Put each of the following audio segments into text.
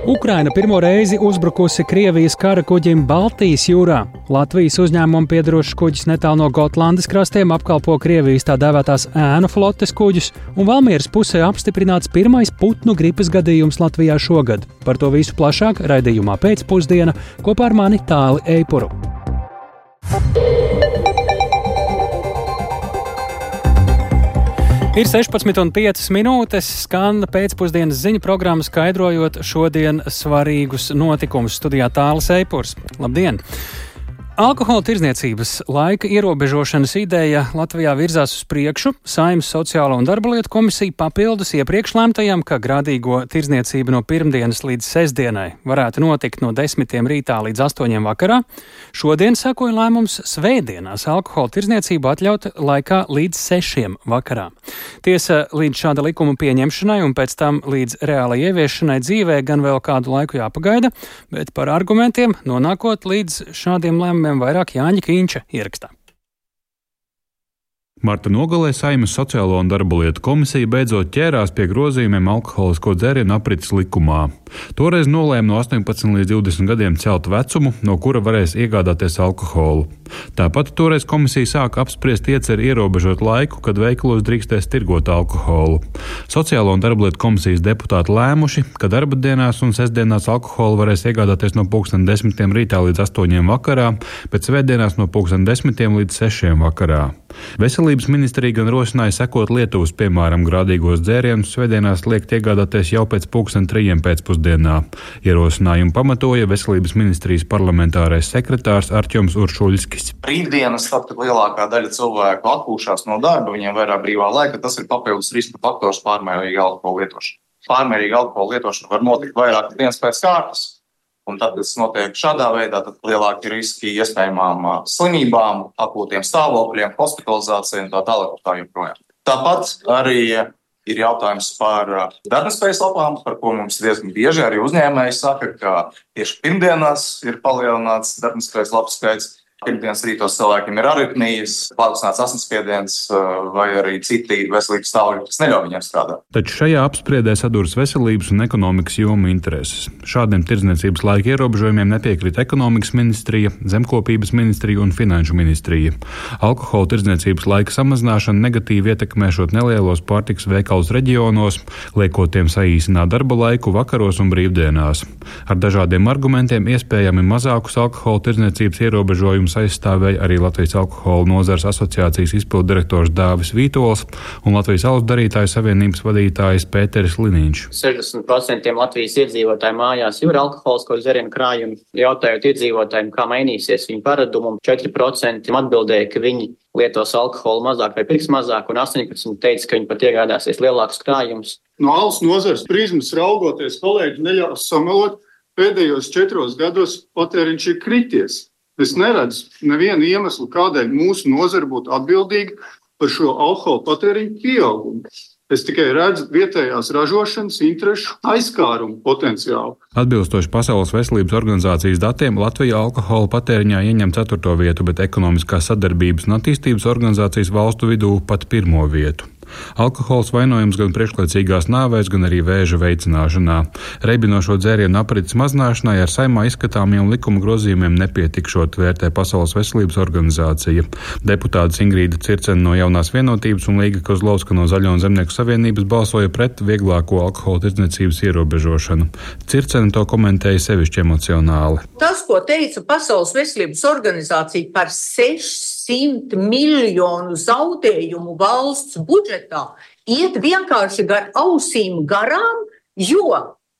Ukraina pirmo reizi uzbrukusi Krievijas kara kuģim Baltijas jūrā. Latvijas uzņēmumam piederošs kuģis netālu no Gotlandes krastiem apkalpo Krievijas tā dēvētās ēnu flotes kuģus, un Valmieras pusē apstiprināts pirmais putnu gripas gadījums Latvijā šogad. Par to visu plašāk raidījumā Pēcpusdiena kopā ar mani Tāli Eipuru. Ir 16,5 minūtes, skan pēcpusdienas ziņu programma skaidrojot šodien svarīgus notikumus. Studijā Tālis Eipurs. Labdien! Alkohola tirdzniecības laika ierobežošanas ideja Latvijā virzās uz priekšu. Saeimas Sociālo un darba lietu komisija papildus iepriekš lēmtajam, ka grādīgo tirdzniecība no pirmdienas līdz sestdienai varētu notikt no 10 rītā līdz 8 vakarā. Šodien sekoja lēmums svētdienās alkohola tirdzniecību atļaut laikā līdz 6 vakarā. Tiesa, līdz šāda likuma pieņemšanai un pēc tam līdz reālai ieviešanai dzīvē gan vēl kādu laiku jāpagaida, bet par argumentiem nonākot līdz šādiem lēmumiem vairāk Jāņa Kīņša ierakstā. Marta nogalē Saeimas Sociālo un darba lietu komisija beidzot ķērās pie grozījumiem alkoholisko dzērienu aprits likumā. Toreiz nolēma no 18 līdz 20 gadiem celt vecumu, no kura varēs iegādāties alkoholu. Tāpat toreiz komisija sāka apspriest ieceri ierobežot laiku, kad veikalos drīkstēs tirgot alkoholu. Sociālo un darba lietu komisijas deputāti lēmuši, ka darba dienās un sestdienās alkoholu varēs iegādāties no 10 rītā līdz 8 vakarā, bet svētdienās no 10 līdz 6 vakarā. Veselības ministrija gan rosināja sekot Lietuvas piemēram grādīgos dzērienus svētdienās liekt iegādāties jau pēc 3:00 pēcpusdienā. Ierosinājumu pamatoja Veselības ministrijas parlamentārais sekretārs Artjoms Uršuļskis. Brīvdienas, tad, kad lielākā daļa cilvēku atpūšās no darba, viņiem vairāk brīvā laika, tas ir papildus riska faktors pārmērīga alkohola lietošana. Pārmērīga alkohola lietošana var notikt vairākas dienas pēc kārtas. Un tad, kad tas notiek šādā veidā, tad lielāki riski iespējamām slimībām, akūtiem stāvokļiem, hospitalizācijai un tā tālāk un tā joprojām. Tāpat arī ir jautājums par darbnespējas lapām, par ko mums diezgan bieži arī uzņēmēji saka, ka tieši pirmdienās ir palielināts darbnespējas lapu skaits. Pirmdienas rītos cilvēkiem ir aritmijas, paaugstināts asinsspiediens vai arī citi veselības stāvokļi, kas neļauj viņiem strādāt. Taču šajā apspriedē saduras veselības un ekonomikas jomu intereses. Šādiem tirdzniecības laika ierobežojumiem nepiekrīt ekonomikas ministrija, zemkopības ministrija un finanšu ministrija. Alkohola tirdzniecības laika samazināšana negatīvi ietekmēšot nelielos pārtikas veikalus reģionos, liekot tiem saīsināt darba laiku vakaros un brīvdienās. Ar dažādiem argumentiem iespējami mazākus alkohola tirdzniecības ierobežojumus aizstāvēja arī Latvijas alkohola nozares asociācijas izpilddirektors Dāvis Vītols un Latvijas alus darītāju savienības vadītājs Pēteris Liniņš. 60% Latvijas iedzīvotāju mājās jau ir alkoholisko dzērienu krājumi. Jautājot iedzīvotājiem, kā mainīsies viņu paradumu, 4% atbildēja, ka viņi lietos alkoholu mazāk vai pirks mazāk, un 18% teica, ka viņi pat iegādāsies lielākus krājumus. No alus nozares prizmas raugoties, kolēģi neļaus samelot, pēdējos 4 gados patēriņš ir krities. Es neredzu nevienu iemeslu, kādēļ mūsu nozare būtu atbildīga par šo alkohola patēriņu pieaugumu. Es tikai redzu vietējās ražošanas interešu aizskārumu potenciālu. Atbilstoši Pasaules veselības organizācijas datiem, Latvija alkohola patēriņā ieņem 4. vietu, bet Ekonomiskās sadarbības un attīstības organizācijas valstu vidū pat 1. vietu. Alkohols vainojams gan priekšlaicīgās nāvēs, gan arī vēža veicināšanā. Reibinošo dzērienu aprits mazināšanai ar Saeimā izskatāmiem likuma grozījumiem nepietikšot, vērtē Pasaules veselības organizācija. Deputātes Ingrīda Circene no Jaunās vienotības un Līga Kozlovska no Zaļo un Zemnieku savienības balsoja pret vieglāko alkohola tirdzniecības ierobežošanu. Circene to komentēja sevišķi emocionāli. Tas, ko teica Pasaules veselības organizācija par 600 miljonu zaudējumu valsts budžetā, iet vienkārši gar ausīm garām, jo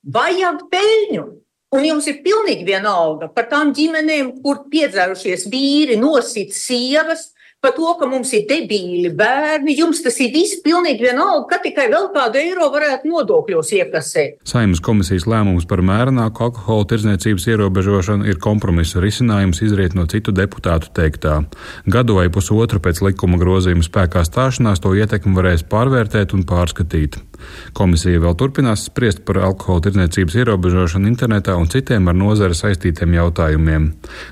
vajag peļņu. Un jums ir pilnīgi vienalga par tām ģimenēm, kur piedzērušies vīri nosit sievas, par to, ka mums ir debīli bērni. Jums tas ir viss pilnīgi vienalga, ka tikai vēl kādu eiro varētu nodokļos iekasēt. Saeimas komisijas lēmums par mērenāku alkohola tirdzniecības ierobežošanu ir kompromisa risinājums izriet no citu deputātu teiktā. Gadu vai pusotru pēc likuma grozījuma spēkā stāšanās to ietekmi varēs pārvērtēt un pārskatīt. Komisija vēl turpinās spriest par alkohola tirdzniecības ierobežošanu internetā un citiem ar nozari saistītiem jautājumiem.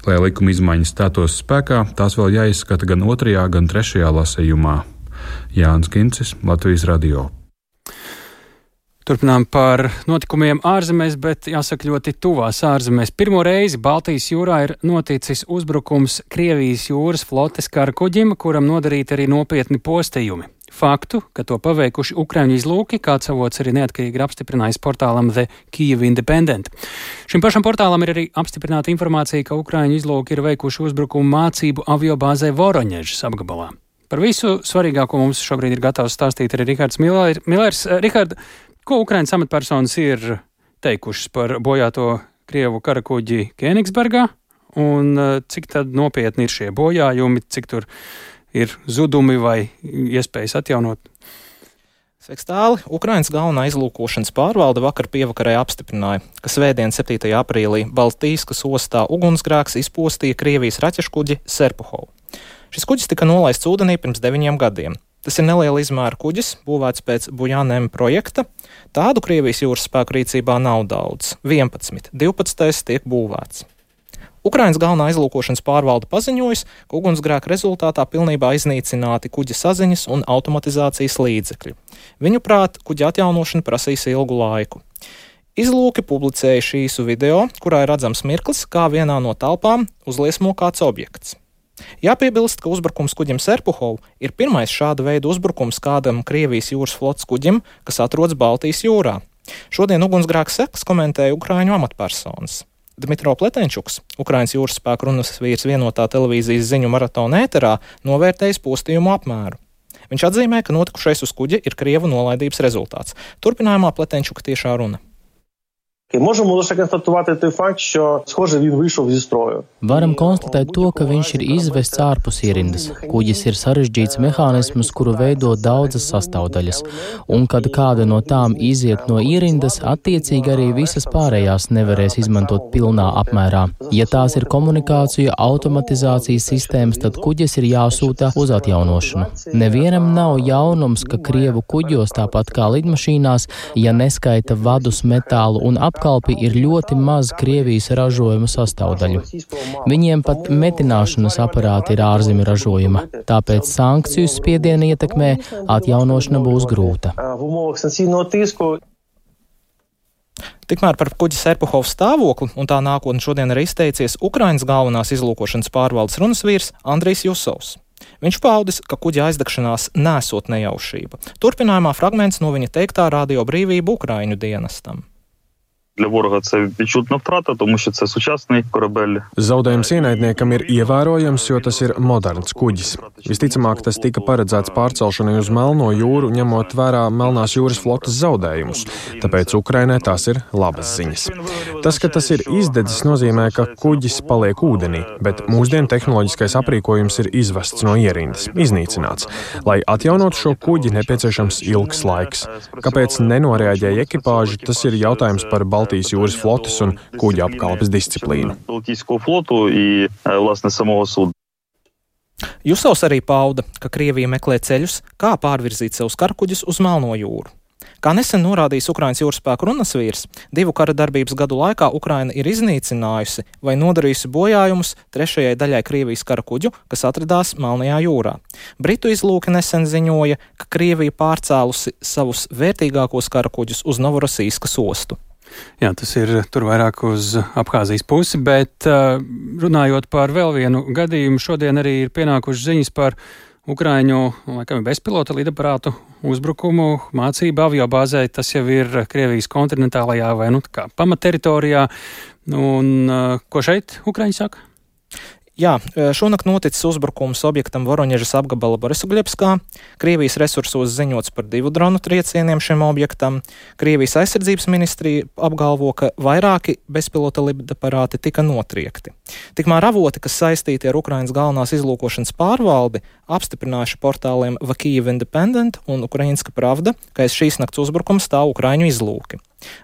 Lai likuma izmaiņas stātos spēkā, tās vēl jāizskata gan 2., gan 3. lasījumā. Jānis Kincis, Latvijas radio. Turpinām par notikumiem ārzemēs, bet jāsaka ļoti tuvās ārzemēs. Pirmo reizi Baltijas jūrā ir noticis uzbrukums Krievijas jūras flotes kara kuģim, kuram nodarīti arī nopietni postījumi. Faktu, ka to paveikuši Ukraiņu izlūki, kāds avots arī neatkarīgi ir apstiprinājis portālam The Kyiv Independent. Šim pašam portālam ir arī apstiprināta informācija, ka Ukraiņu izlūki ir veikuši uzbrukumu mācību aviobāzē Voroņežas apgabalā. Par visu svarīgāko mums šobrīd ir gatavs stāstīt arī Rihards Millers. Rihard, ko Ukraiņas amatpersonas ir teikušas par bojāto Krievu karakuģi Kēnigsbergā un cik tad nopietni ir šie bojājumi, cik tur ir zudumi vai iespējas atjaunot? Sveiks, Tāli! Ukrainas galvenā izlūkošanas pārvalde vakar pievakarē apstiprināja, ka svētdien 7. aprīlī Baltijskas ostā ugunsgrēks izpostīja Krievijas raķeškuģi Serpuhovu. Šis kuģis tika nolaists ūdenī pirms 9 gadiem. Tas ir neliela izmēra kuģis, būvēts pēc Bujanēm projekta. Tādu Krievijas jūras spēku rīcībā nav daudz. 11, 12 tiek būvēts. Ukrainas galvenā izlūkošanas pārvalde paziņojas, ka ugunsgrēka rezultātā pilnībā iznīcināti kuģa saziņas un automatizācijas līdzekļi. Viņuprāt, kuģa atjaunošana prasīs ilgu laiku. Izlūki publicēja šīsu video, kurā ir redzams mirklis, kā vienā no telpām uzliesmo kāds objekts. Jāpiebilst, ka uzbrukums kuģim Serpuhovu ir pirmais šāda veida uzbrukums kādam Krievijas jūras flotes kuģim, kas atrodas Baltijas jūrā. Šodien ugunsgrēka sekas komentēja Ukraiņu amatpersonas. Dmitro Pletenčuks, Ukrainas jūras spēku runas vīrs vienotā televīzijas ziņu maratona ēterā, novērtējis postījumu apmēru. Viņš atzīmē, ka notikušais uz kuģa ir Krievu nolaidības rezultāts. Turpinājumā Pletenčuka tiešā runa. Можемо лише констатувати той факт, що, схоже, він вийшов зі строю. Varam konstatēt to, ka viņš ir izvests ārpus ierindas. Kuģis ir sarežģīts mehānisms, kuru veido daudzas sastāvdaļas, un kad kāda no tām iziet no ierindas, attiecīgi arī visas pārējās nevarēs izmantot pilnā apmērā. Ja tās ir komunikācija, automatizācijas sistēmas, tad kuģis ir jāsūta uz atjaunošanu. Nevienam nav jaunums, ka Krievu kuģos, tāpat kā lidmašīnās, ja neskaita vadus, metālu un apkalpi, ir ļoti maz Krievijas ražojuma sastāvdaļu. Viņiem pat metināšanas aparāti ir ārzemju ražojuma, tāpēc sankciju spiediena ietekmē atjaunošana būs grūta. Tikmēr par kuģi Serpuhovu stāvokli un tā nākotni šodien arī izteicies Ukrainas galvenās izlūkošanas pārvaldes runas vīrs Andrijs Jusovs. Viņš paudis, ka kuģa aizdegšanās nesot nejaušība. Turpinājumā fragments no viņa teiktā Radio Brīvība Ukraiņu dienestam. Для ворога це відчутна втрата, тому що це сучасний корабель. Zaudējums ienaidniekam ir ievērojams, jo tas ir moderns kuģis. Visticamāk, tas tika paredzēts pārcelšanai uz Melno jūru, ņemot vērā Melnās jūras flotes zaudējumus, tāpēc Ukrainai tās ir labas ziņas. Tas, ka tas ir izdedzis, nozīmē, ka kuģis paliek ūdenī, bet mūsdienu tehnoloģiskais aprīkojums ir izvests no ierindas, iznīcināts. Lai atjaunotu šo kuģi, nepieciešams ilgs laiks. Kāpēc nenoreaģēja ekipāži, tas ir jautājums par Baltijas jūras flotes un kuģa apkalpes disciplīnu. Jusovs arī pauda, ka Krievija meklē ceļus, kā pārvirzīt savus karakuģus uz Melno jūru. Kā nesen norādījis Ukrainas jūras spēku runas vīrs, 2 kara darbības gadu laikā Ukraina ir iznīcinājusi vai nodarījusi bojājumus 3. daļai Krievijas karakuģu, kas atradās Melnajā jūrā. Britu izlūki nesen ziņoja, ka Krievija pārcēlusi savus vērtīgākos karakuģus uz Novorosīskas ostu. Jā, tas ir tur vairāk uz Abhāzijas pusi, bet runājot par vēl vienu gadījumu, šodien arī ir pienākušas ziņas par Ukraiņu, laikam, bezpilota lidaparātu uzbrukumu mācību aviobāzē. Tas jau ir Krievijas kontinentālajā vai pamatteritorijā. Un ko šeit Ukraiņi saka? Jā, šonakt noticis uzbrukums objektam Voroņežas apgabala Borisogļebskā. Krievijas resursos ziņots par 2 dronu triecieniem šim objektam. Krievijas aizsardzības ministrija apgalvo, ka vairāki bezpilota lidaparāti tika notriekti. Tikmēr avoti, kas saistīti ar Ukrainas galvenās izlūkošanas pārvaldi, apstiprinājuši portāliem The Kyiv Independent un Ukrainska Pravda, ka aiz šīs nakts uzbrukums stāv Ukraiņu izlūki.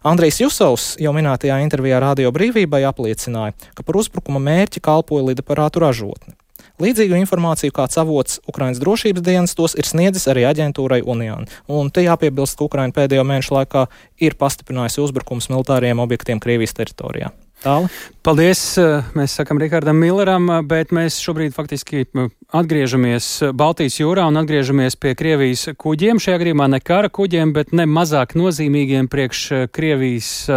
Andrijs Jusovs jau minētajā intervijā Radio Brīvībai apliecināja, ka par uzbrukuma mērķi kalpoja lidaparātu ražotne. Līdzīgu informāciju kāds avots Ukrainas drošības dienestos ir sniedzis arī aģentūrai Union. Un te jāpiebilst, ka Ukraina pēdējo mēnešu laikā ir pastiprinājusi uzbrukums militāriem objektiem Krievijas teritorijā. Tāli. Paldies, mēs sakam Rihardam Milleram, bet mēs šobrīd faktiski atgriežamies Baltijas jūrā un atgriežamies pie Krievijas kuģiem. Šajā gadījumā ne kara kuģiem, bet ne mazāk nozīmīgiem priekš Krievijas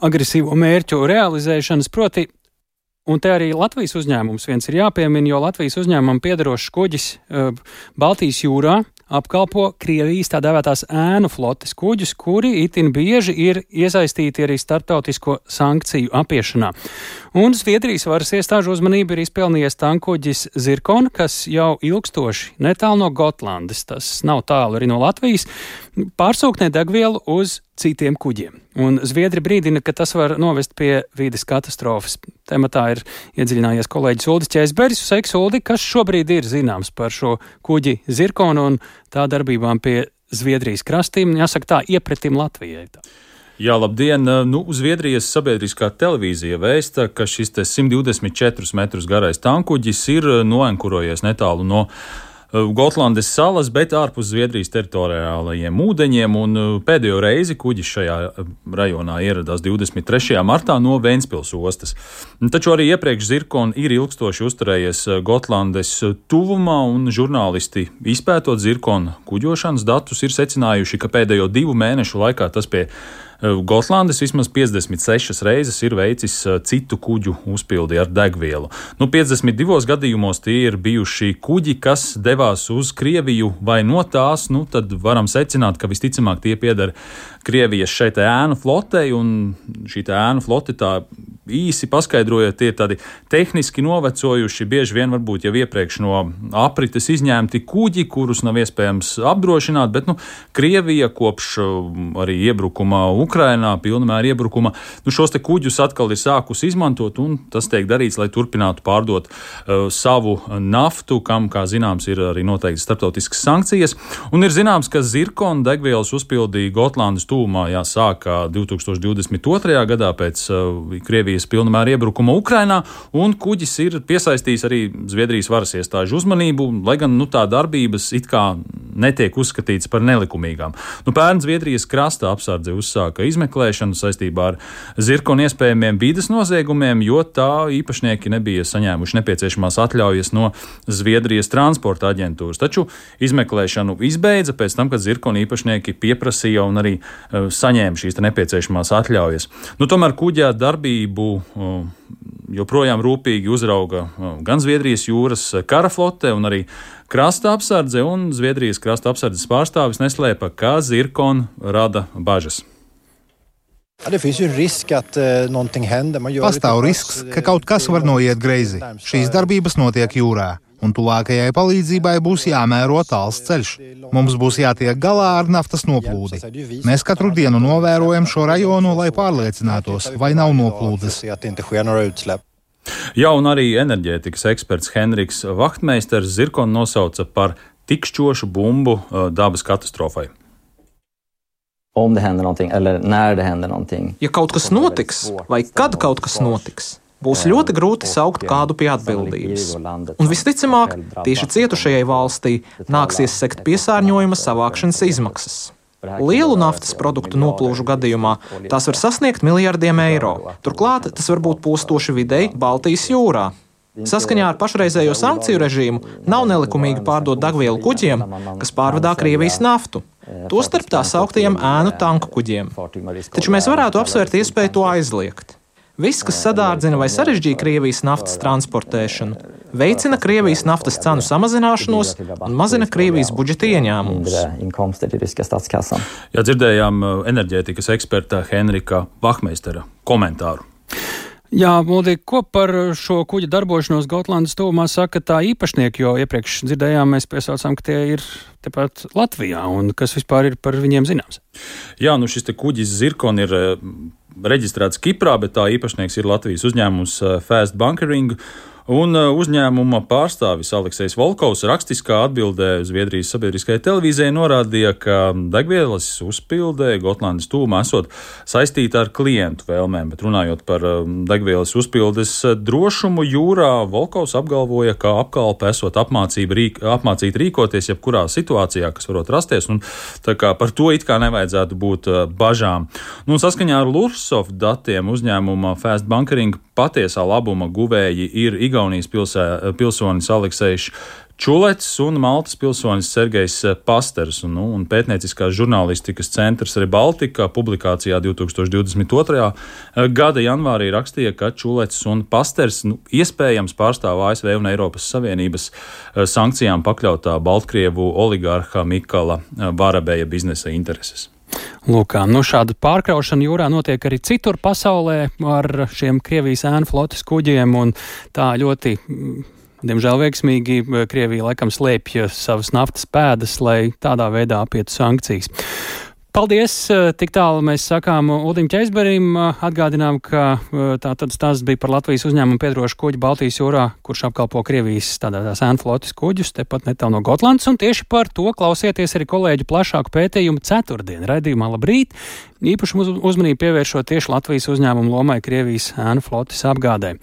agresīvo mērķu realizēšanas, proti. Un te arī Latvijas uzņēmums viens ir jāpiemina, jo Latvijas uzņēmumam piederošs kuģis Baltijas jūrā apkalpo Krievijas tā dēvētās ēnu flotes kuģus, kuri itin bieži ir iesaistīti arī starptautisko sankciju apiešanā. Un Zviedrijas varas iestāžu uzmanību ir izpelnījies tankuģis Zirkon, kas jau ilgstoši netālu no Gotlandes, tas nav tālu arī no Latvijas, pārsūknē degvielu uz citiem kuģiem. Un Zviedri brīdina, ka tas var novest pie vides katastrofas. Tematā ir iedziļinājies kolēģis Uldis Ķēzberis. Sveiks, Uldi, kas šobrīd ir zināms par šo kuģi Zirkonu un tā darbībām pie Zviedrijas krastiem, jāsaka tā, iepretim Latvijai? Jā, labdien! Zviedrijas sabiedriskā televīzija vēsta, ka šis 124 metrus garais tankuģis ir noenkurojies netālu no Gotlandes salas, bet ārpus Zviedrijas teritoriālajiem ūdeņiem, un pēdējo reizi kuģis šajā rajonā ieradās 23. martā no Ventspils ostas. Taču arī iepriekš Zirkon ir ilgstoši uzturējies Gotlandes tuvumā, un žurnālisti izpētot Zirkon kuģošanas datus ir secinājuši, ka pēdējo 2 mēnešu laikā tas pie Gotlandes vismaz 56 reizes ir veicis citu kuģu uzpildi ar degvielu. 52 gadījumos tie ir bijuši kuģi, kas devās uz Krieviju vai no tās, tad varam secināt, ka visticamāk tie pieder Krievijas šeit ēnu flotei, un šī ēnu flote tā īsi paskaidrojot, tie ir tādi tehniski novecojuši, bieži vien varbūt jau iepriekš no aprites izņemti kuģi, kurus nav iespējams apdrošināt, bet Krievija kopš arī iebrukuma Ukrainā, pilnamēra iebrukuma, šos te kuģus atkal ir sākus izmantot, un tas tiek darīts, lai turpinātu pārdot savu naftu, kam, kā zināms, ir arī noteikti starptautiskas sankcijas, un ir zināms, ka Zirkon degvielas uzpildīja Gotlandes tuvumā jāsāka 2022. gadā pēc Krievijas pilnamēra iebrukuma Ukrainā, un kuģis ir piesaistījis arī Zviedrijas varas iestāžu uzmanību, lai gan tā darbības it kā netiek uzskatīts par nelikumīgām. Pērn Zviedrijas krasta apsardze uzsāka izmeklēšanu saistībā ar Zirkon iespējamiem vides noziegumiem, jo tā īpašnieki nebija saņēmuši nepieciešamās atļaujas no Zviedrijas transporta aģentūras. Taču izmeklēšanu izbeidza pēc tam, kad Zirkon īpašnieki pieprasīja un arī saņēma šīs nepieciešamās atļaujas. Tomēr kuģā darbību joprojām rūpīgi uzrauga gan Zviedrijas jūras kara flote un arī krasta apsardze, un Zviedrijas krasta apsardzes pārstāvis neslēpa, ka Zirkon rada bažas. Pastāv risks, ka kaut kas var noiet greizi. Šīs darbības notiek jūrā, un tuvākajai palīdzībai būs jāmēro tāls ceļš. Mums būs jātiek galā ar naftas noplūdi. Mēs katru dienu novērojam šo rajonu, lai pārliecinātos, vai nav noplūdes. Jā, un arī enerģētikas eksperts Henriks Vaktmeisters Zirkon nosauca par tikšķošu bumbu dabas katastrofai. Ja kaut kas notiks, vai kad kaut kas notiks, būs ļoti grūti saukt kādu pie atbildības. Un visticamāk, tieši cietušajai valstī nāksies sekt piesārņojuma savākšanas izmaksas. Lielu naftas produktu noplūžu gadījumā tās var sasniegt miljardiem eiro. Turklāt tas var būt postoši videi Baltijas jūrā. Saskaņā ar pašreizējo sankciju režīmu nav nelikumīgi pārdot degvielu kuģiem, kas pārvadā Krievijas naftu. Tostarp tā sauktajiem ēnu tanku kuģiem. Taču mēs varētu apsvērt iespēju to aizliegt. Viss, kas sadārdzina vai sarežģīja Krievijas naftas transportēšanu, veicina Krievijas naftas cenu samazināšanos un mazina Krievijas budžeta ieņēmumus. Jā, dzirdējām enerģētikas eksperta Henrika Vaktmeistera komentāru. Jā, Muldi, ko par šo kuģa darbošanos Gotlandes tuvumā saka tā īpašnieki, jo iepriekš dzirdējām, mēs piesaucām, ka tie ir tepat Latvijā, un kas vispār ir par viņiem zināms? Jā, šis te kuģis Zirkon ir reģistrēts Kiprā, bet tā īpašnieks ir Latvijas uzņēmums Fast Bunkering, Un uzņēmuma pārstāvis Aleksejs Volkovs rakstiskā atbildē uz Zviedrijas sabiedriskajai televīzijai norādīja, ka degvielas uzpilde Gotlandes tūmā esot saistīta ar klientu vēlmēm, bet runājot par degvielas uzpildes drošumu jūrā, Volkovs apgalvoja, ka apkalpe esot apmācīta rīkoties jebkurā situācijā, kas varot rasties, un tā kā par to it kā nevajadzētu būt bažām. Nu, saskaņā ar Lursov datiem uzņēmuma Fast Bunkering patiesā labuma guvēji ir Igaunijas pilsonis Aleksejs Čulets un Maltas pilsonis Sergejs Pasters. Un pētnieciskās žurnālistikas centrs Rebaltika publikācijā 2022. Gada janvārī rakstīja, ka Čulets un Pasters iespējams pārstāv ASV un Eiropas Savienības sankcijām pakļautā Baltkrievu oligārha Mikala Varabeja biznesa intereses. Lūk, šāda pārkraušana jūrā notiek arī citur pasaulē ar šiem Krievijas ēnu flotes kuģiem, un tā ļoti, diemžēl veiksmīgi, Krievija laikam slēpj savas naftas pēdas, lai tādā veidā apietu sankcijas. Paldies! Tik tālu mēs sakām Uldim Ķeizberim. Atgādinām, ka tātad stāsts bija par Latvijas uzņēmumu piedarošu kuģi Baltijas jūrā, kurš apkalpo Krievijas tādās ēnu flotes kuģus, tepat netālu no Gotlandes, un tieši par to klausieties arī kolēģu plašāku pētījumu ceturtdien raidījumā Labrīt, īpaši uzmanību pievēršot tieši Latvijas uzņēmumu lomai Krievijas ēnu flotes apgādē.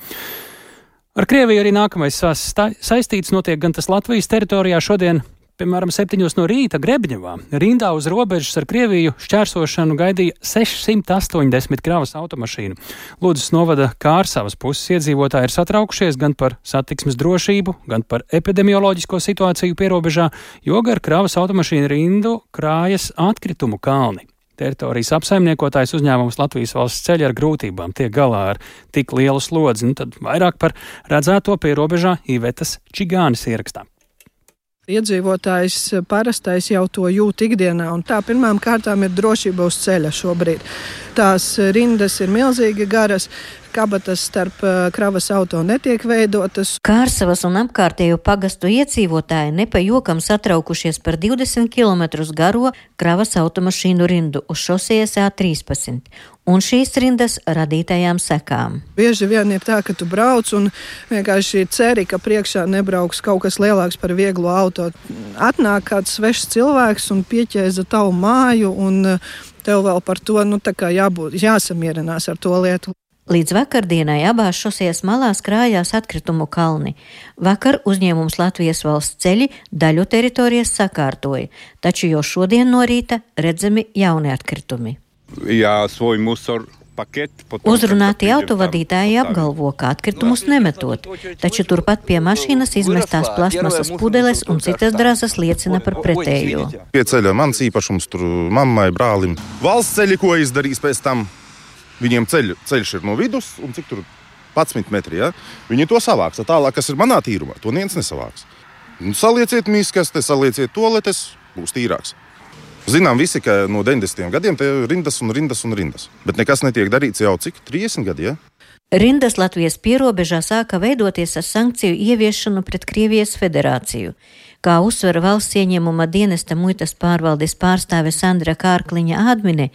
Ar Krieviju arī nākamais saistīts notiek gan tas Latvijas teritorijā šodien, piemēram, 7 no rīta Grebņevā. Rindā uz robežas ar Krieviju šķērsošanu gaidīja 680 kravas automašīnu. Lūdzas novada Kārsavas puses iedzīvotāji ir satraukušies gan par satiksmes drošību, gan par epidemioloģisko situāciju pierobežā, jo gar kravas automašīnu rindu krājas atkritumu kalni. Teritorijas apsaimniekotājs uzņēmums Latvijas valsts ceļi ar grūtībām tiek galā ar tik lielu slodzi. Tad vairāk par redzēto pierobežā Ivetas Čigānis ierakstā. Iedzīvotājs parastais jau to jūt ikdienā, un tā pirmām kārtām ir drošība uz ceļa šobrīd. Tās rindas ir milzīgi garas, kabatas starp kravas auto netiek veidotas. Kārsavas un apkārtējo pagastu iedzīvotāji nepajokam satraukušies par 20 km garo kravas automašīnu rindu uz šosejas A13 un šīs rindas radītajām sekām. Bieži vien ir tā, ka tu brauc un vienkārši ceri, ka priekšā nebrauks kaut kas lielāks par vieglu auto. Atnāk kāds svešs cilvēks un pieķēza tavu māju, un tev vēl par to jāsamierinās ar to lietu. Līdz vakardienai abās šosejas malās krājās atkritumu kalni. Vakar uzņēmums Latvijas valsts ceļi daļu teritorijas sakārtoja, taču jau šodien no rīta redzami jauni atkritumi. Uzrunāti autovadītāji apgalvo, ka atkritumus nemetot, taču turpat pie mašīnas izmestās plasmasas pudeles un citas drazas liecina par pretējo. Pie ceļa mans īpašums tur mammai, brālim. Valsts ceļi, ko izdarīs pēc tam? Viņiem ceļš ir no vidus, un cik tur 11 metri, ja? Viņi to savāks. Tālāk, kas ir manā tīrumā, to neviens nesavāks. Salieciet mīskaste, salieciet toaletes, būs tīrāks. Zinām visi, ka no 90. gadiem te rindas un rindas un rindas. Bet nekas netiek darīts jau cik 30 gadi, ja? Rindas Latvijas pierobežā sāka veidoties ar sankciju ieviešanu pret Krievijas federāciju. Kā uzsver valsts ieņēmuma dienesta muitas pārvaldes pārstāve Sandra Kārkliņa Ādmine,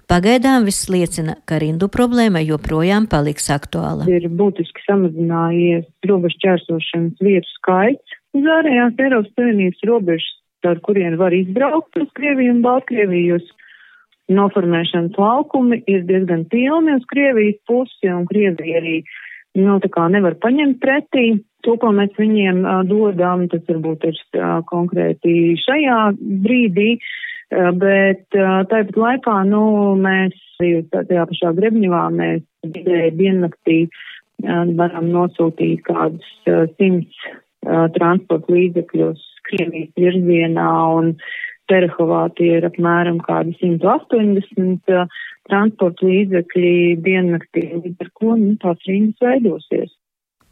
pagaidām viss liecina, ka rindu problēma joprojām paliks aktuāla. Ir būtiski samazinājies robežu šķērsošanas vietu skaits uz ārējās Eiropas Savienības robežas, ar kuriem var izbraukt uz Krieviju un Baltkrieviju. Noformēšanas laukumi ir diezgan pilni uz Krievijas pusi, un Krievija arī nevar paņemt pretī to, ko mēs viņiem dodam. Tas varbūt ir konkrēti šajā brīdī, bet tāpat laikā mēs tajā pašā Grebņevā mēs diennaktī varam nosūtīt kādus 100 transporta līdzekļus Krievijas virzienā, un Terehovā tie ir apmēram kādi 180 transporta līdzekļi diennaktī, līdz ar ko tās rindas veidosies.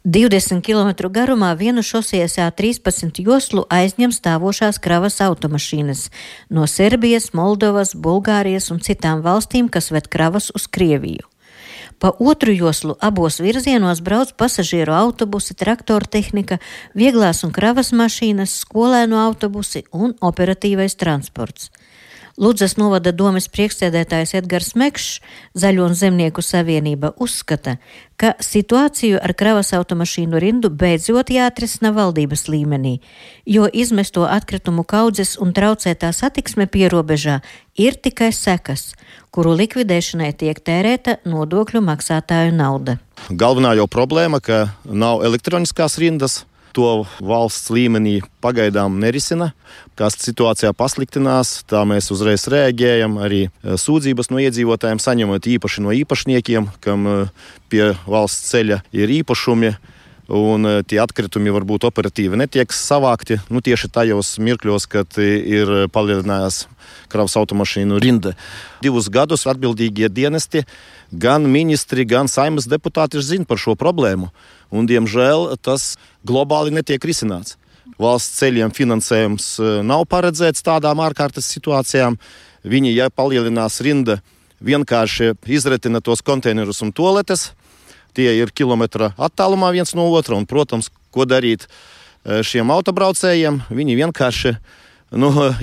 20 km garumā vienu šosejas A13 joslu aizņem stāvošās kravas automašīnas no Serbijas, Moldovas, Bulgārijas un citām valstīm, kas ved kravas uz Krieviju. Pa otru joslu abos virzienos brauc pasažieru autobusi, traktortehnika, vieglās un kravas mašīnas, skolēnu autobusi un operatīvais transports. Ludzas novada domes priekšsēdētājs Edgars Mekšs, Zaļo un Zemnieku savienība, uzskata, ka situāciju ar kravas automašīnu rindu beidzot jāatrisina valdības līmenī, jo izmesto atkritumu kaudzes un traucētā satiksme pierobežā ir tikai sekas, kuru likvidēšanai tiek tērēta nodokļu maksātāju nauda. Galvenā jau problēma, ka nav elektroniskās rindas. To valsts līmenī pagaidām nerisina. Kā situācijā pasliktinās, tā mēs uzreiz reaģējam. Arī sūdzības no iedzīvotājiem saņemot īpaši no īpašniekiem, kam pie valsts ceļa ir īpašumi, un tie atkritumi varbūt operatīvi netiek savākti. Tieši tajos mirkļos, kad ir palielinājās kravas automašīnu rinda. 2 gadus atbildīgie dienesti, gan ministri, gan Saeimas deputāti zina par šo problēmu. Un, diemžēl, tas globāli netiek risināts. Valsts ceļiem finansējums nav paredzēts tādām ārkārtas situācijām. Viņi, ja palielinās rinda, vienkārši izretina tos konteinerus un toaletes. Tie ir kilometra attālumā viens no otra. Un, protams, ko darīt šiem autobraucējiem? Viņi vienkārši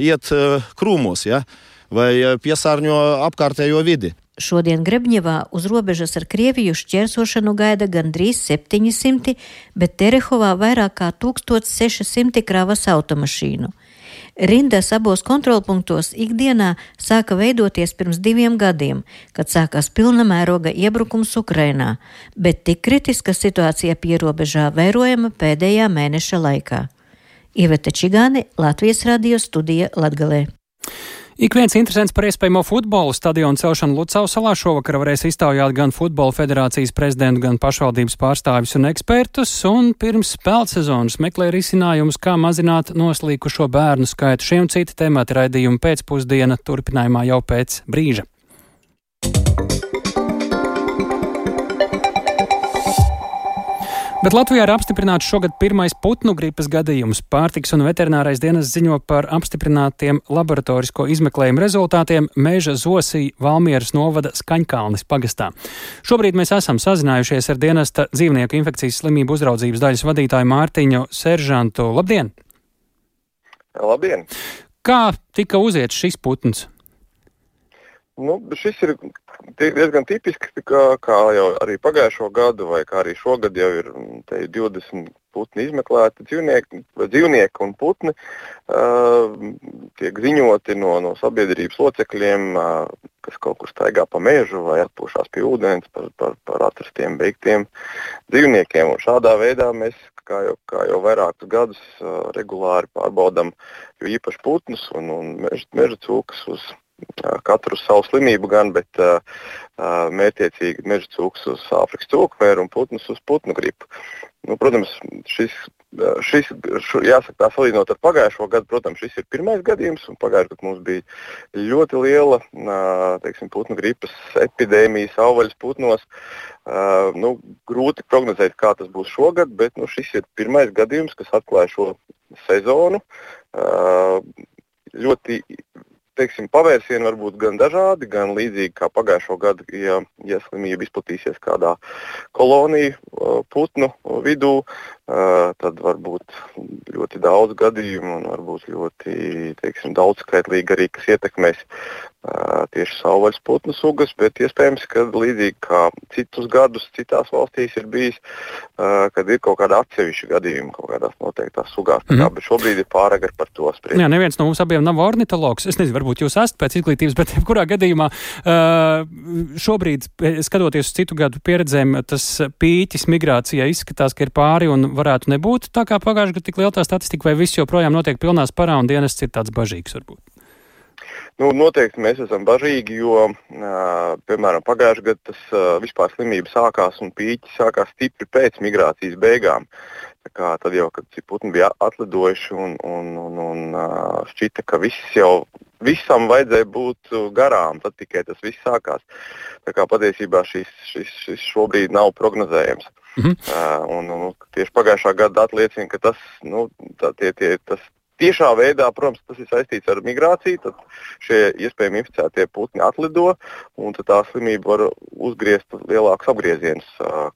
iet krūmos, ja? Vai piesārņo apkārtējo vidi. Šodien Grebņevā uz robežas ar Krieviju šķērsošanu gaida gandrīz 700, bet Terehovā vairāk kā 1600 kravas automašīnu. Rindas abos kontrolpunktos ikdienā sāka veidoties pirms 2 gadiem, kad sākās pilna mēroga iebrukums Ukrainā, bet tik kritiska situācija pierobežā vērojama pēdējā mēneša laikā. Iveta Čigāne, Latvijas radio studija Latgalē. Ik viens interesants par iespējamo futbola stadionu celšanu Lucavas salā šovakar varēs iztaujāt gan Futbola federācijas prezidentu, gan pašvaldības pārstāvjus un ekspertus, un pirms spēlsezonas meklē risinājumus, kā mazināt noslīkušo bērnu skaitu. Šie un citi temati raidījuma pēcpusdiena turpinājumā jau pēc brīža. Bet Latvijā ir apstiprināts šogad pirmais putnu gripas gadījums. Pārtikas un veterinārais dienas ziņo par apstiprinātiem laboratorisko izmeklējumu rezultātiem Meža Zosī Valmieras novada Skaņkalnes pagastā. Šobrīd mēs esam sazinājušies ar dienesta dzīvnieku infekcijas slimību uzraudzības daļas vadītāju Mārtiņu Seržantu. Labdien! Labdien! Kā tika uziets šis putns? Šis ir diezgan tipisks, kā jau arī pagājušo gadu, vai kā arī šogad jau ir 20 putni izmeklēti dzīvnieki un putni. Tiek ziņoti no sabiedrības locekļiem, kas kaut kur staigā pa mežu vai atpūšās pie ūdens par atrastiem beigtiem dzīvniekiem. Un šādā veidā mēs, kā jau vairākus gadus, regulāri pārbaudam jo īpaši putnus un meža cūkas uz katru uz savu slimību gan, bet mērķiecīgi meža cūkas uz Āfrikas cūkmēru un putnus uz putnu gripu. Protams, šis jāsaka tā salīdzinot ar pagājušo gadu, protams, šis ir pirmais gadījums, un pagājušajā gadā mums bija ļoti liela, putnu gripas epidēmija savvaļas putnos. Grūti prognozēt, kā tas būs šogad, bet šis ir pirmais gadījums, kas atklāja šo sezonu. Ļoti pavērsieni var būt gan dažādi, gan līdzīgi kā pagājušo gadu, ja slimība izplatīsies kādā koloniju putnu vidū, tad var būt ļoti daudz gadījumu un varbūt ļoti daudzskaitlīgi arī, kas ietekmēs tieši savvaļas putnu sugas, bet iespējams, ka līdzīgi kā citus gadus citās valstīs ir bijis, kad ir kaut kāda atsevišķa gadījuma kaut kādās noteiktās sugās. Bet šobrīd ir pāragri par to spriest. Jā, neviens no mums abiem nav ornitologs. Es nezinu, varbūt jūs esat pēc izglītības, bet jebkurā gadījumā šobrīd, skatoties uz citu gadu pieredzēm, tas pīķis migrācijā izskatās, ka ir pāri un varētu nebūt tā kā pagājušajā gadā tik liela tā statistika, vai viss joprojām notiek pilnā sparā un dienests ir tāds bažīgs varbūt? Noteikti mēs esam bažīgi, jo, piemēram, pagājušajā gadā tas vispār slimība sākās un pīķi sākās stipri pēc migrācijas beigām. Tad jau, kad putni bija atlidojuši un šķita, ka visam vajadzēja būt garām, tad tikai tas viss sākās. Patiesībā šis šobrīd nav prognozējams. Un tieši pagājušā gada atliecina, ka tas tiešā veidā, protams, tas ir saistīts ar migrāciju, tad šie iespējami inficētie putni atlido, un tad tā slimība var uzgriezt lielākus apgriezienus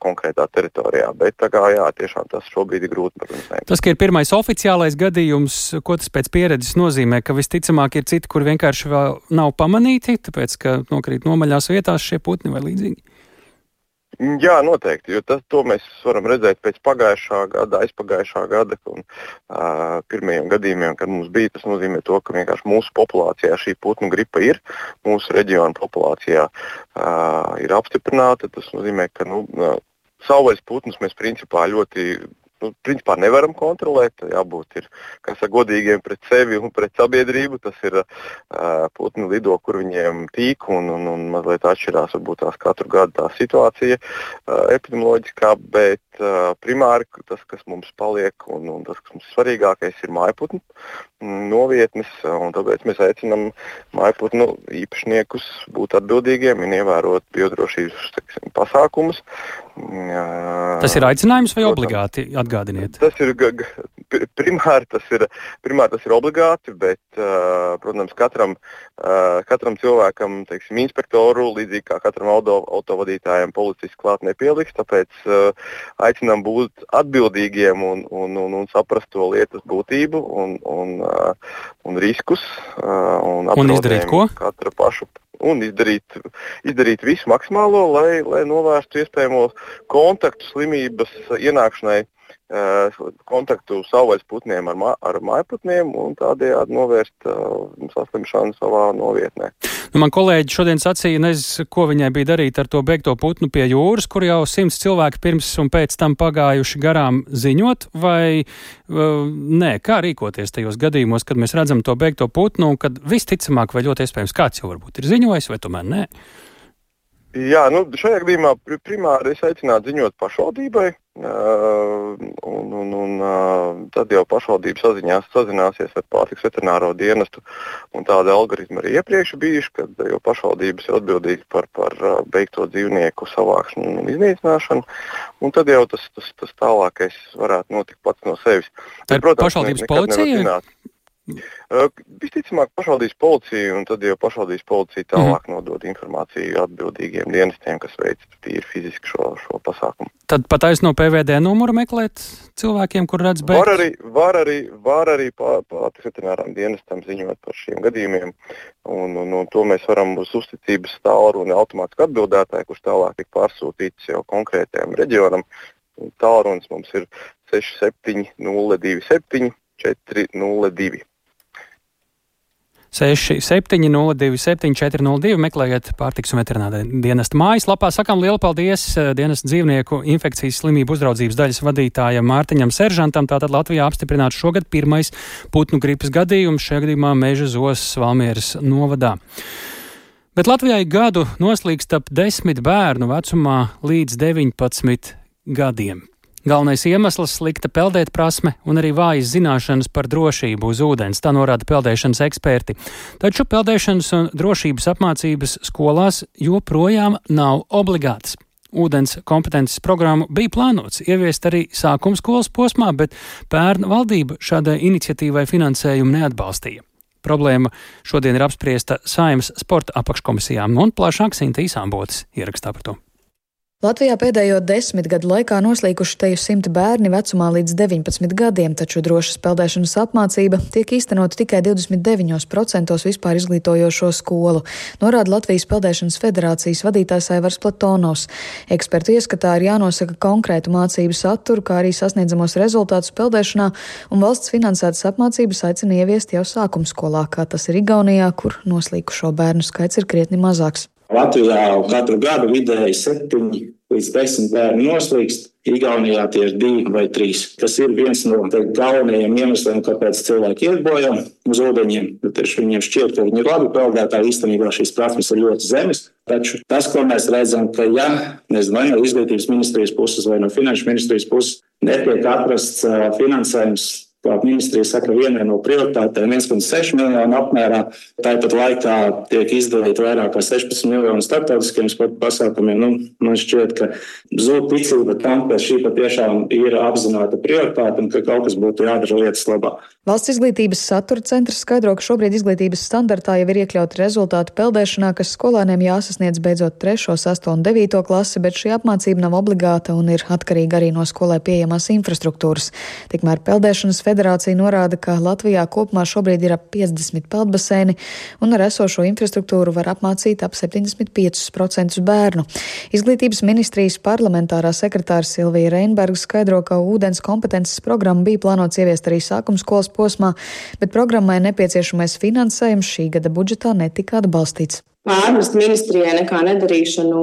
konkrētā teritorijā. Bet tā kā, jā, tiešām tas šobrīd ir grūti, protams. Tas, ka ir pirmais oficiālais gadījums, ko tas pēc pieredzes nozīmē, ka visticamāk ir citi, kur vienkārši vēl nav pamanīti, tāpēc, ka nokrīt nomaļās vietās šie putni vai līdzīgi? Jā, noteikti, jo to mēs varam redzēt pēc pagājušā gada, aizpagājušā gada un pirmajiem gadījumiem, kad mums bija. Tas nozīmē to, ka vienkārši mūsu populācijā šī putnu gripa ir, mūsu reģiona populācijā ir apstiprināta. Tas nozīmē, ka savvaļas putnus mēs principā nevaram kontrolēt, jābūt ir, godīgiem pret sevi un pret sabiedrību. Tas ir putni lido, kur viņiem tīk un mazliet atšķirās varbūt tās katru gadu tā situācija epidemioloģiskā, bet primāri tas, kas mums paliek un tas, kas mums svarīgākais, ir mājputnu novietnes, un tāpēc mēs aicinām mājputnu īpašniekus būt atbildīgiem un ievērot biodrošības pasākumus. Tas ir aicinājums vai obligāti? Atgādiniet. Tas ir primāri tas ir obligāti, bet, protams, katram cilvēkam, teiksim, inspektoru, līdzīgi kā katram autovadītājam, policists klāt nepieliks, tāpēc aicinām būt atbildīgiem un saprast to lietas būtību un riskus un izdarīt ko? Katra pašu. Un izdarīt visu maksimālo, lai novērstu iespējamo kontaktu slimības ienākšanai, kontaktu savvaļas putniem ar mājputniem un tādējādi novērst saslimšanu savā novietnē. Man kolēģi šodien sacīja, nezinu, ko viņai bija darīt ar to beigto putnu pie jūras, kur jau 100 cilvēki pirms un pēc tam pagājuši garām ziņot, vai nē, kā rīkoties tajos gadījumos, kad mēs redzam to beigto putnu un kad visticamāk vai ļoti iespējams kāds jau varbūt ir ziņojis, vai tomēr nē? Jā, šajā gadījumā primāri es aicinātu ziņot pašvaldībai, un tad jau pašvaldība sazināsies ar pārtikas veterināro dienestu, un tāda algoritma arī iepriekš bijuši, kad jau pašvaldības ir atbildīgi par beigto dzīvnieku savākšanu un iznīcināšanu, un tad jau tas tālākais varētu notikt pats no sevis. Tad, protams, pašvaldības policija? Visticamāk pašvaldības policija, un tad jau pašvaldības policija tālāk nodod informāciju atbildīgiem dienestiem, kas veic tīri fiziski šo pasākumu. Tad pat aiz no PVD numuru meklēt cilvēkiem, kur redz beigt? Var arī pārtikas veterinārām dienestam ziņot par šiem gadījumiem, un to mēs varam uz uzticības tālruni automātiski atbildētāji, kurš tālāk tik pārsūtīts jau konkrētajam reģionam. Tālrunis mums ir 67027402. 67027402, meklējiet pārtikas un veterinārā dienesta mājaslapā. Sakām lielu paldies dienesta dzīvnieku infekcijas slimību uzraudzības daļas vadītājam Mārtiņam Seržantam. Tātad Latvijā apstiprināts šogad pirmais putnu gripas gadījums, šajā gadījumā Meža Zosas Valmieras novadā. Bet Latvijai gadu noslīkst ap 10 bērnu vecumā līdz 19 gadiem. Galvenais iemesls - slikta peldēt prasme un arī vājas zināšanas par drošību uz ūdens, tā norāda peldēšanas eksperti. Taču peldēšanas un drošības apmācības skolās joprojām nav obligātas. Ūdens kompetences programmu bija plānots ieviest arī sākuma skolas posmā, bet pērn valdība šādai iniciatīvai finansējumu neatbalstīja. Problēma šodien ir apspriesta Saeimas sporta apakškomisijām, un plašāk Sinta Īsāmbotes ierakstā par to. Latvijā pēdējo 10 gadu laikā noslīkuši teju 100 bērni vecumā līdz 19 gadiem, taču drošas peldēšanas apmācība tiek īstenota tikai 29% vispār izglītojošo skolu, norāda Latvijas Peldēšanas federācijas vadītājs Aivars Platonovs. Ekspertu ieskatā ir jānosaka konkrētu mācību saturu, kā arī sasniedzamos rezultātus peldēšanā, un valsts finansētas apmācības aicina ieviest jau sākumskolā, kā tas ir Igaunijā, kur noslīkušo bērnu skaits ir krietni mazāks. Latvijā katru gadu vidēji 7 līdz 10 bērni noslīkst, Igaunijā tie ir 2 vai 3. Tas ir viens no galvenajiem iemesliem, kāpēc cilvēki iet bojā uz ūdeņiem. Viņiem šķiet, ka viņi ir labi peldētāji, īstenībā šīs prasmes ir ļoti zemes. Taču tas, ko mēs redzam, ka vai no izglītības ministrijas puses vai no finanšu ministrijas puses netiek atrasts finansējums kā ministrija saka, vienai no prioritātēm 1,6 miljonu apmērā. Tāpat laikā tiek izdalīti vairāk kā 16 miljonu starptautiskiem sporta pasākumiem. Man šķiet, ka zūd ticība tam, ka šī patiešām ir apzināta prioritāte un ka kaut kas būtu jādara lietas labā. Valsts izglītības satura centrs skaidro, ka šobrīd izglītības standartā jau ir iekļauti rezultātu peldēšanā, kas skolēniem jāsasniedz beidzot 3., 6. un 9. klasi, bet šī apmācība nav obligāta un ir atkarīga arī no skolai pieejamās infrastruktūras. Tikmēr Peldēšanas federācija norāda, ka Latvijā kopumā šobrīd ir ap 50 peldbaseini un ar esošo infrastruktūru var apmācīt ap 75% bērnu. Izglītības ministrijas parlamentārā sekretāra Silvija Reinberga skaidro, ka ūdens kompetences programma bija plānots ieviest arī sākuma skolas posmā, bet programmai nepieciešamais finansējums šī gada budžetā netika atbalstīts. Ārvalstu ministrijai nekā nedarīšanu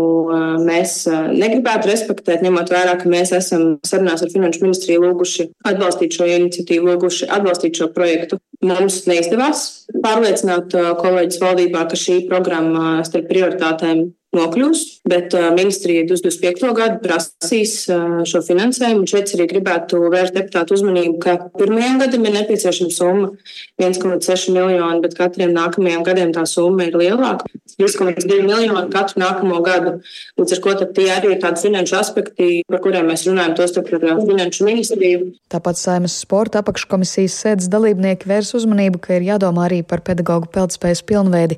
mēs negribētu respektēt, ņemot vērā, ka mēs esam sarunās ar Finanšu ministriju lūguši atbalstīt šo iniciatīvu, lūguši atbalstīt šo projektu. Mums neizdevās pārliecināt kolēģis valdībā, ka šī programma starp prioritātēm nokļūs, bet ministrija 2025. gadu prasīs šo finansējumu. Un šeit arī gribētu vērst deputātu uzmanību, ka pirmajam gadam ir nepieciešama summa 1,6 miljoni, bet katriem nākamajiem gadiem tā summa ir lielāka. 3,2 miljoni katru nākamo gadu. Līdz ar ko tad tie arī ir tādi finanšu aspekti, par kuriem mēs runājam, tostarp ar Finanšu ministriju. Tāpat Saeimas sporta apakškomisijas sēdes dalībnieki vērs uzmanību, ka ir jādomā arī par pedagoģu peldspējas pilnveidi.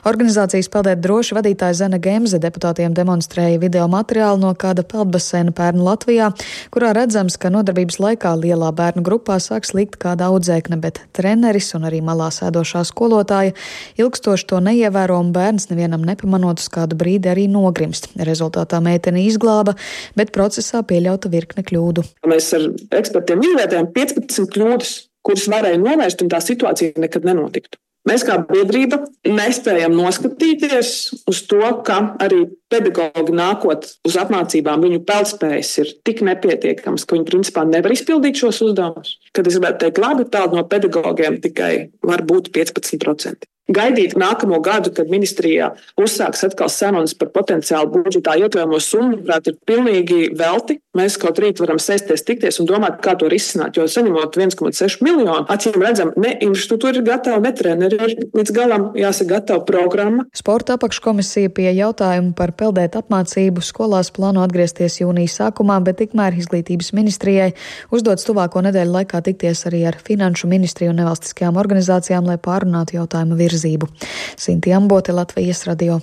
Organizācijas Peldēt droši vadītāja Zana Gemze deputātiem demonstrēja video materiālu no kāda peldbaseina pērn Latvijā, kurā redzams, ka nodarbības laikā lielā bērnu grupā sāk slīgt kāda audzēkne, bet treneris un arī malā sēdošā skolotāja ilgstoši to neievēro un bērns nevienam nepamanot uz kādu brīdi arī nogrimst. Rezultātā meiteni izglāba, bet procesā pieļauta virkne kļūdu. Mēs ar ekspertiem izvērtējām 15 kļūdas, kuras varēja novērst, un tā situācija nekad nenotiktu. Mēs kā biedrība nespējam noskatīties uz to, ka arī pedagoģi nākot uz apmācībām, viņu peldspējas ir tik nepietiekams, ka viņi principā nevar izpildīt šos uzdevumus. Kad es gribētu teikt, labi, tādu no pedagogiem tikai var būt 15%. Gaidīt nākamo gadu, kad ministrijā uzsāks atkal sarunas par potenciālu budžetā iekļaujamo summu, prāt, ir pilnīgi velti. Mēs kaut rīt varam sēsties, tikties un domāt, kā to risināt, jo saņemot 1,6 miljonu, acīm redzam, ne infrastruktūra ir gatava, ne treneri ir līdz galam jāsaka gatava programma. Sporta apakškomisija pie jautājumu par peldēt apmācību skolās plāno atgriezties jūnija sākumā, bet tikmēr izglītības ministrijai uzdots tuvāko nedēļu laikā tikties arī ar Finanšu ministriju un nevalstiskajām organizācijām, lai pārunātu jautājumu virzību. Sinti Ambote, Latvijas radio.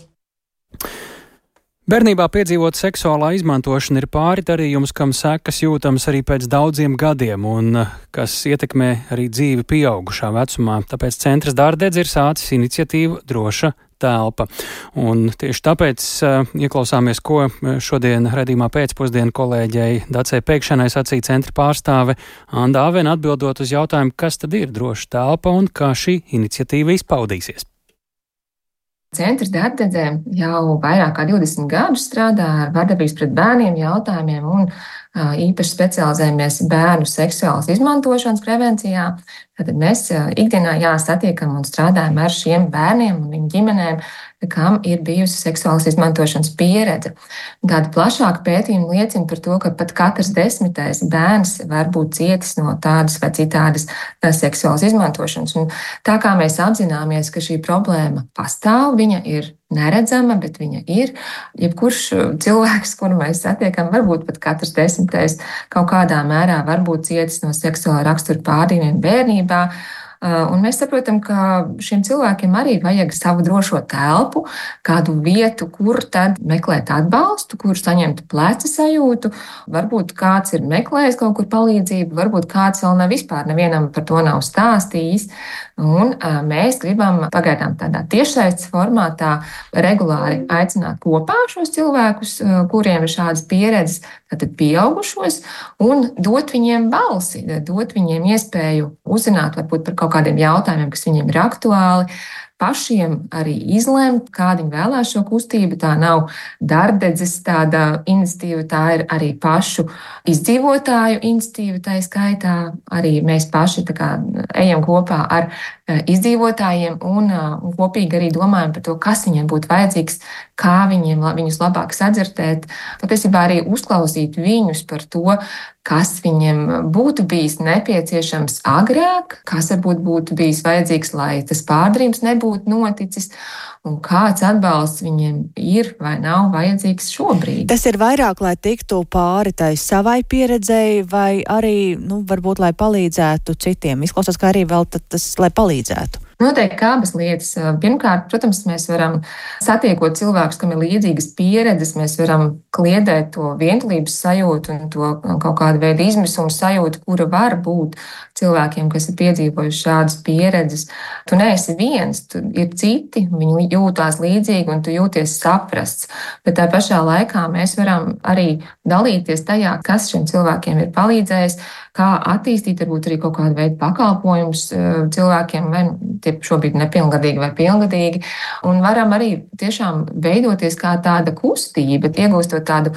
Bērnībā piedzīvot seksuālā izmantošana ir pāri darījums, kam sekas jūtams arī pēc daudziem gadiem un kas ietekmē arī dzīvi pieaugušā vecumā. Tāpēc centrs Dārdedz ir sācis iniciatīvu Droša telpa. Un tieši tāpēc ieklausāmies, ko šodien raidījumā pēcpusdienu kolēģei Dacei Pēkšanai sacīja centra pārstāve Anda Avena, atbildot uz jautājumu, kas tad ir droša telpa un kā šī iniciatīva izpaudīsies. Centrs Dārdedzē jau vairāk kā 20 gadus strādā ar vardarbības pret bērniem jautājumiem un īpaši specializējamies bērnu seksuālas izmantošanas prevencijā. Tad mēs ikdienā satiekam un strādājam ar šiem bērniem un viņu ģimenēm, kam ir bijusi seksuālas izmantošanas pieredze. Tāda plašāka pētījuma liecina par to, ka pat katrs 10. bērns var būt cietis no tādas vai citādas seksuālas izmantošanas. Un tā kā mēs apzināmies, ka šī problēma pastāv, viņa ir neredzama, bet viņa ir. Jebkurš cilvēks, kuru mēs satiekam, varbūt pat katrs 10. kaut kādā mērā var būt cietis no seksuāla rakstura pārdījumiem bērnībā. Un mēs saprotam, ka šiem cilvēkiem arī vajag savu drošo telpu, kādu vietu, kur tad meklēt atbalstu, kur saņemt pleca sajūtu. Varbūt kāds ir meklējis kaut kur palīdzību, varbūt kāds vēl vispār nevienam par to nav stāstījis. Un mēs gribam pagaidām tādā tiešsaistes formātā regulāri aicināt kopā šos cilvēkus, kuriem ir šādas pieredzes, tātad pieaugušos, un dot viņiem balsi, dot viņiem iespēju uzzināt varbūt par kaut kādiem jautājumiem, kas viņiem ir aktuāli, pašiem arī izlemt, kādi viņi vēlās šo kustību. Tā nav Dārdedzes tāda iniciatīva, tā ir arī pašu izdzīvotāju iniciatīva, tā skaitā arī mēs paši tā kā ejam kopā ar izdzīvotājiem un kopīgi arī domājam par to, kas viņiem būtu vajadzīgs, kā viņus labāk sadzirdēt, patiesībā arī uzklausīt viņus par to, kas viņiem būtu bijis nepieciešams agrāk, kas varbūt būtu bijis vajadzīgs, lai tas pārdarījums nebūtu noticis, un kāds atbalsts viņiem ir vai nav vajadzīgs šobrīd. Tas ir vairāk, lai tiktu pāri tai savai pieredzēji, vai arī, varbūt, lai palīdzētu citiem. Izklausās, ka arī vēl tas, lai palīdzētu. Noteikti abas lietas. Pirmkārt, protams, mēs varam satiekot cilvēkus, kam ir līdzīgas pieredzes, mēs varam kliedēt to vientulības sajūtu un to kaut kādu veidu izmisumu sajūtu, kura var būt cilvēkiem, kas ir piedzīvojuši šādas pieredzes. Tu neesi viens, tu ir citi, viņi jūtās līdzīgi un tu jūties saprasts. Bet tā pašā laikā mēs varam arī dalīties tajā, kas šiem cilvēkiem ir palīdzējis, kā attīstīt varbūt arī kaut kādu veidu pakalpojumus cilvēkiem, vai tie šobrīd nepilngadīgi vai pilngadīgi, un varam arī tiešām veidoties kā tāda kustība, iegūstot tādu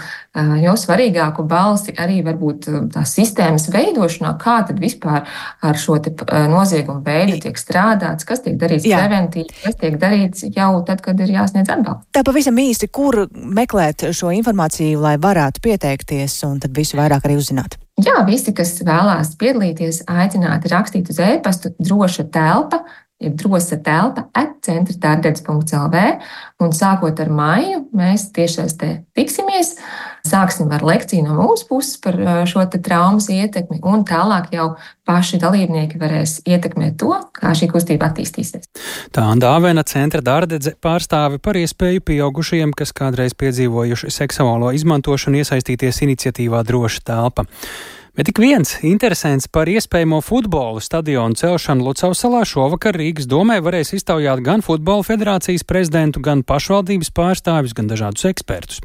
jau svarīgāku balsi arī varbūt tās sistēmas veidošanā, kā tad vispār ar šo te noziegumu veidu tiek strādāts, kas tiek darīts preventīvi, kas tiek darīts jau tad, kad ir jāsniedz atbalsts. Tā pavisam īsti, kur meklēt šo informāciju, lai varētu pieteikties un tad visu vairāk arī uzzināt? Jā, visi, kas vēlās piedalīties, aicināti rakstīt uz e-pastu droša telpa, jeb drosa telpa @centrtardedz.lv, un sākot ar maiju mēs tiešais te tiksimies, sāksim ar lekciju no mūsu puses par šo te traumas ietekmi, un tālāk jau paši dalībnieki varēs ietekmēt to, kā šī kustība attīstīsies. Tā Dāvena Centra Dārdedze pārstāve par iespēju pieaugušajiem, kas kādreiz piedzīvojuši seksuālo izmantošanu, iesaistīties iniciatīvā Droša telpa. Bet tik viens interesants par iespējamo futbola stadionu celšanu Lucavsalā šovakar Rīgas domē varēs iztaujāt gan Futbola federācijas prezidentu, gan pašvaldības pārstāvis, gan dažādus ekspertus.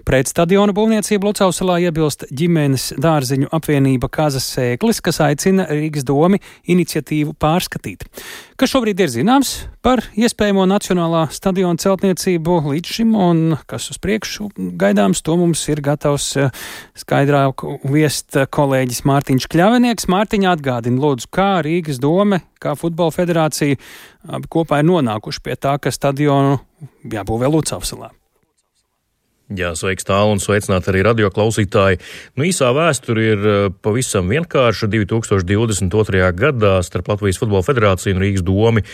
Pret stadionu būvniecību Lucavsalā iebilst ģimenes dārziņu apvienība Kazas Sēklis, kas aicina Rīgas domi iniciatīvu pārskatīt. Kas šobrīd ir zināms par iespējamo nacionālā stadiona celtniecību līdz šim un kas uz priekšu gaidāms, to mums ir gatavs skaidrāk viest kolēģis Mārtiņš Kļavinieks. Mārtiņa, atgādina lūdzu, kā Rīgas dome, kā Futbola federācija kopā ir nonākuši pie tā, ka stadionu jābūvē Lucavsalā. Jā, sveiks tālu un sveicināt arī radioklausītāji. Īsā vēsture ir pavisam vienkārša. 2022. gadā starp Latvijas Futbola federāciju un Rīgas domi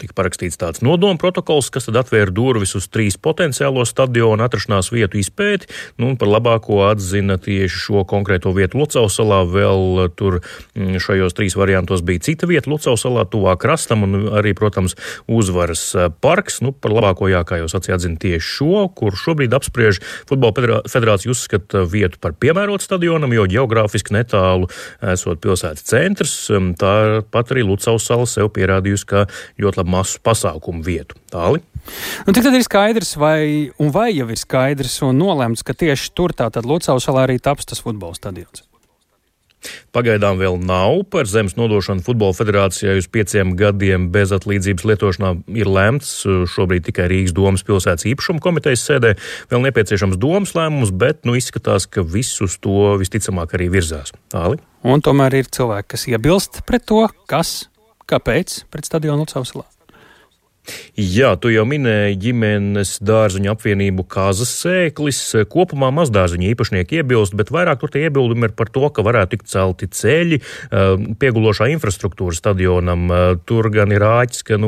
tika parakstīts tāds nodoma protokols, kas tad atvēra durvis uz 3 potenciālo stadionu atrašanās vietu izpēti, un par labāko atzina tieši šo konkrēto vietu Lucavsalā. Vēl tur šajos 3 variantos bija cita vieta Lucavsalā, tuvāk krastam, un arī, protams, Uzvaras parks. Par labāko, kā jau sacīja, atzina tieši šo, kur šobrīd apspriež Futbola federācija uzskata vietu par piemērotu stadionam, jo ģeogrāfiski netālu esot pilsētas centrs. Tāpat arī Lucavsala sev pierādījusi kā ļoti labu masu pasākumu vietu. Tāli? Tik tad ir skaidrs, vai jau ir skaidrs un nolemts, ka tieši tur tātad Lucavsalā arī taps tas futbola stadions? Pagaidām vēl nav. Par zemes nodošanu Futbola federācijai uz 5 gadiem bez atlīdzības lietošanā ir lemts šobrīd tikai Rīgas domas pilsētas īpašuma komitejas sēdē. Vēl nepieciešams domas lēmums, bet izskatās, ka viss uz to visticamāk arī virzās. Tāli? Un tomēr ir cilvēki, kas iebilst pret to, kāpēc pret stadionu Lucavsalā? Jā, tu jau minēji ģimenes dārziņu apvienību Kazas Sēklis. Kopumā mazdārziņu īpašnieki iebilst, bet vairāk tur tie iebildumi ir par to, ka varētu tikt celti ceļi, piegulošā infrastruktūra stadionam. Tur gan ir āķis, ka,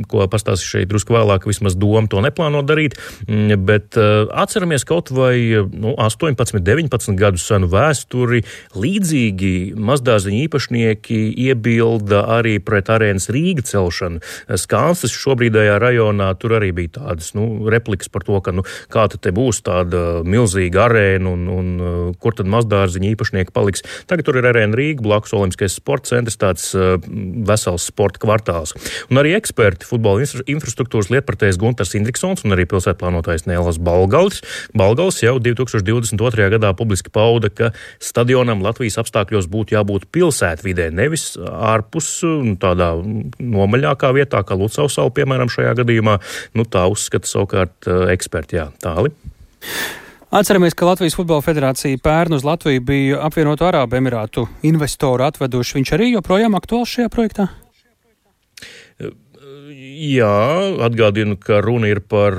ko pastāstīšu šeit drusku vēlāk, vismaz doma to neplāno darīt, bet atceramies kaut vai 18, 19 gadu senu vēsturi. Līdzīgi mazdārziņu īpašnieki iebilda arī pret Arēnas Rīga celšanu. Skanstas šobrīdējā rajonā tur arī bija tādas replikas par to, ka kā tad te būs tāda milzīga arēna un kur tad mazdārziņa īpašnieki paliks. Tagad tur ir Arēna Rīga, blakus Olimpiskais sporta centrs, tāds vesels sporta kvartāls. Un arī eksperti, futbola infrastruktūras lietpratējs Guntars Indriksons un arī pilsētplānotājs Nēlas Balgals jau 2022. gadā publiski pauda, ka stadionam Latvijas apstākļos būtu jābūt pilsētvidē, nevis ārpus tādā nomaļākā vietā, kā Lucavsala, piemēram, šajā gadījumā. Tā uzskata savukārt eksperti. Jā, Tāli. Atceramies, ka Latvijas Futbola federācija pērn uz Latviju bija apvienoto Arābu Emirātu investoru atveduši. Viņš arī joprojām aktuāls šajā projektā? Jā, atgādinu, ka runa ir par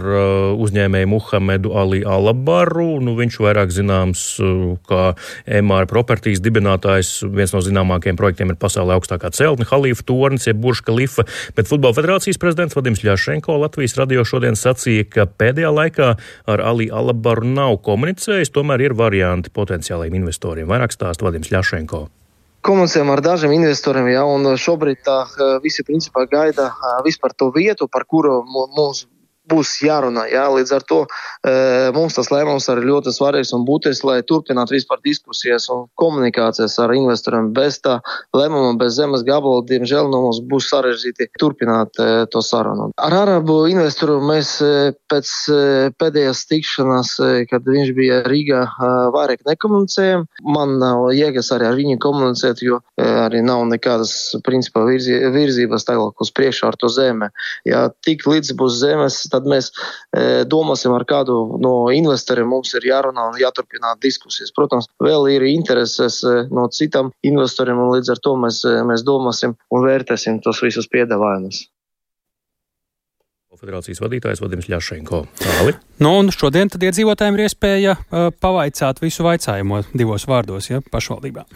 uzņēmēju Muhamedu Ali Alabaru. Viņš vairāk zināms kā MR Properties dibinātājs. Viens no zināmākajiem projektiem ir pasaulē augstākā celtne Halifa tornis, jeb Burž Khalifa. Bet Futbola federācijas prezidents Vadims Ļašenko Latvijas radio šodien sacīja, ka pēdējā laikā ar Ali Alabaru nav komunicējis, tomēr ir varianti potenciālajiem investoriem. Vairāk stāsta Vadims Ļašenko. Komunicējam ar dažiem investoriem, un šobrīd visi principā gaida vispār to vietu, par kuru mums būs jārunā. Līdz ar to mums tas lēmums arī ļoti svarīgs un būtisks, lai turpinātu vispār diskusijas un komunikācijas ar investoriem. Bez tā lēmuma, bez zemes gabala, diemžēl mums būs sarežģīti turpināt to sarunu. Ar arabu investoru mēs pēc pēdējās tikšanās, kad viņš bija Rīgā, vairāk nekomunicējam. Man nav jēgas arī ar viņu komunicēt, jo arī nav nekādas principā virzības tālāk uz priekšu ar to zemi. Tik līdz būs zemes, tad mēs domāsim ar kādu no investoriem, mums ir jārunā un jāturpināt diskusijas. Protams, vēl ir intereses no citām investoriem, un līdz ar to mēs domāsim un vērtēsim tos visus piedāvājumus. Federācijas vadītājs Vadims Ļašenko. Tāli. Un šodien tad iedzīvotājiem ir iespēja pavaicāt visu vaicājumu 2 vārdos, pašvaldībā.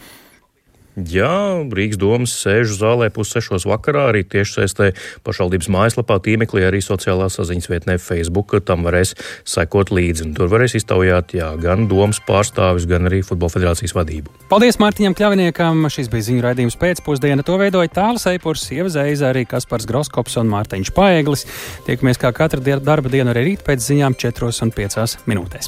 Jā, Rīgas domas sēžu zālē 5:30 vakarā, arī tiešsaistē pašvaldības mājaslapā, tīmeklī, arī sociālā saziņas vietnē Facebook. Tam varēs sekot līdzi, un tur varēs iztaujāt gan domas pārstāvis, gan arī Futbola federācijas vadību. Paldies Mārtiņam Kļaviniekam, šis bija ziņu raidījums pēcpusdiena. To veidoja Tāles Eipurs, Ieva Zeiza, arī Kaspars Groskops un Mārtiņš Paeglis. Tiekamies kā katru darba dienu arī rīt pēc ziņām 4:05.